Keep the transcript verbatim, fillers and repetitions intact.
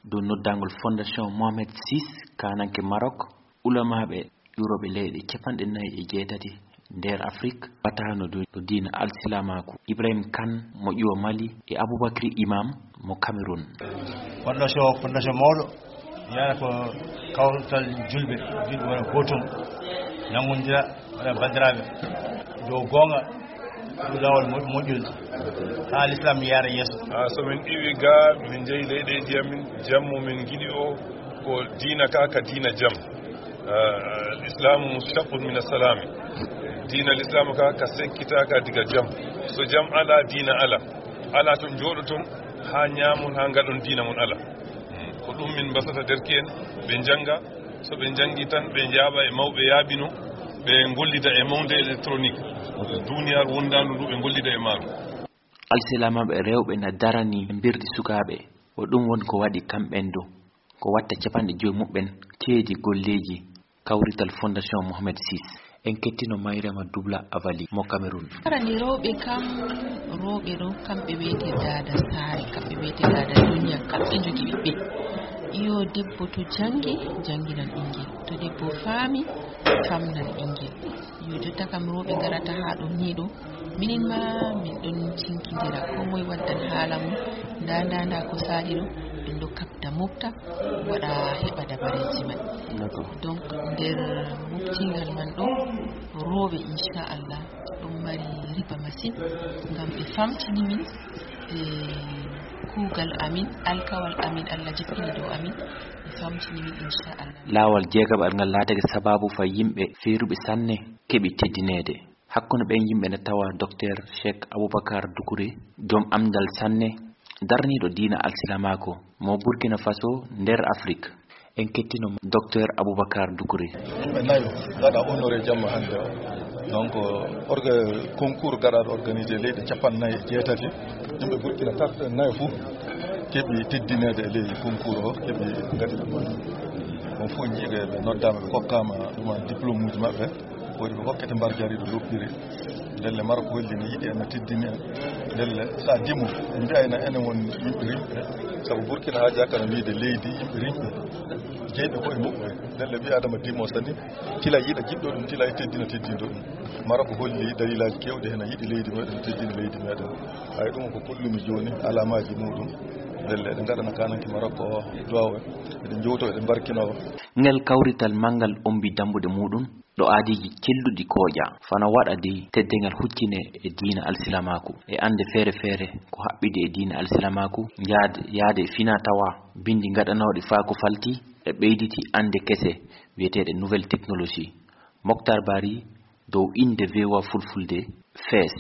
Dow noddaangol Fondation Mohamed six, kaananke Maroc, ulamaaɓe ƴuurooɓe leyɗe capanɗe nayi e jeetati nder Afrik, batano dow, dow diina alsilamaaku, Ibrahim Kane mo ƴuwa Mali e Aboubacry Imam mo Cameroun. Fondation, fondation mawɗo, yana ko kawtal julɓe, julɓe wona gootum, nanngondira, wona banndiraaɓe, dow goonga, dow laawol mo-, moƴƴol, haa l'islam yaara yeeso. Ah, so min iwi ga, min jeyi leyɗeeji amin, jam mo min ngiɗi o, ko diina ka, ka diina jam. Ah, al-Islamu mushtaqun min as-salami. Diina l'islam ka, ka sekkitaka diga jam. So jam ala, diina ala. Ala ton jooɗoton, haa ñaamon, haa ngaɗon diina mon ala. Hmm. Ko ɗum min mbasata derke'en, ɓe njannga. So ɓe njanngi tan, ɓe njaaɓa e mawɓe yaaɓino, ɓe ngollida e mawnde électronique. Duniyaaru wondaandu ndu, ɓe ngollida e maaru. Alsilamaaɓe rewɓe na darani mbirdi sukaaɓe. O ɗum woni ko waɗi kamɓen du, ko watta capanɗe joyi muɓɓen ceedi golleeji kawrital Fondation Mohamed six. En kettino Mayrema Dubla Avali mo Cameroun. Arani rewɓe kam, rewɓe ɗo, kamɓe wiyete daada saare, kamɓe wiyete daada duniya, kamɓe njogi ɓiɓɓe. Iyo, debbo to janngi, jannginan ɓinngel. To debbo faami, famnan ɓinngel. Iyo, jotta kam rewɓe ngarata haa ɗo nii ɗo. Minin ma, min ɗon cinkindira. Ko moye waddan haala mum. Nda, nda, nda ko saali ɗo. Ɗum ɗo kabda mofta, waɗa heɓa dabareeji man. D'accord. Donc, nder moftingal man ɗo, rewɓe, inchallah, ɗum mari riba masin, ngam ɓe famtini min, e kuugal amin, alkawal amin, Allah jippini dow amin, ɓe famtini min, inchallah. Laawol jeegaɓal ngal laatake sababu fay yimɓe feeruɓe sanne keɓi teddineede. Hakkunde ɓen yimɓe ne tawa Docteur Cheikh Aboubacar Doucouré, joom amndal sanne, darniiɗo diina alsilamaaku mo Burkina Faso nder Afrik. En kettino Docteur Aboubacar Doucouré. Yimɓe nayo gaɗa honoré jamma hannde o. Donc, orga-, concours gaɗaaɗo organisé leyɗe capanɗe nayi e jeetati. Yimɓe Burkina tat-, nayo fof keɓi teddineede e ley concours o, keɓi ngaɗi ɗum. On fof njiiɓe ɓe noddaama, ɓe kokkaama ɗum en diplôme uji maɓɓe. Woodi ɓe hokkete mbar jariiɗo loppiri. Ndelle Maroc holli ne yiɗi en, no teddini en. Ndelle so a dimo, mbiya ena enen won yimɓe rimɓe. Sabu Burkina haajaaka no wiyde leydi yimɓe rimɓe. Jeyɓe koye muɓɓe. Ndelle ɓii Adama dimo sani, tila yiɗa jiɗɗo ɗum, tila e teddina teddinɗo ɗum. Maroc holli dalilaaji keewɗi heen, a yiɗi leydi meɗen, teddini leydi meɗen. Hay ɗum ko kollumi jooni, alamaaji muɗum. Ndelle eɗen ngaɗana kananke Maroc o duwaaw, eɗen njowto, eɗen mbarkino. Ngel kawrital manngal ombi dambuɗe muɗum. Ɗo aadiiji celluɗi kooƴa, fano waɗa dey teddeengal huccine e diina alsilamaaku, e annde feere feere ko haɓɓidi e diina alsilamaaku, yaade, yaade e fina tawa, binndi ngaɗanooɗi faa ko falti e ɓeyditi annde kese wiyeteeɗe nouvelle technologie. Moctar Barry dow innde V O A Fulfulde, Fees.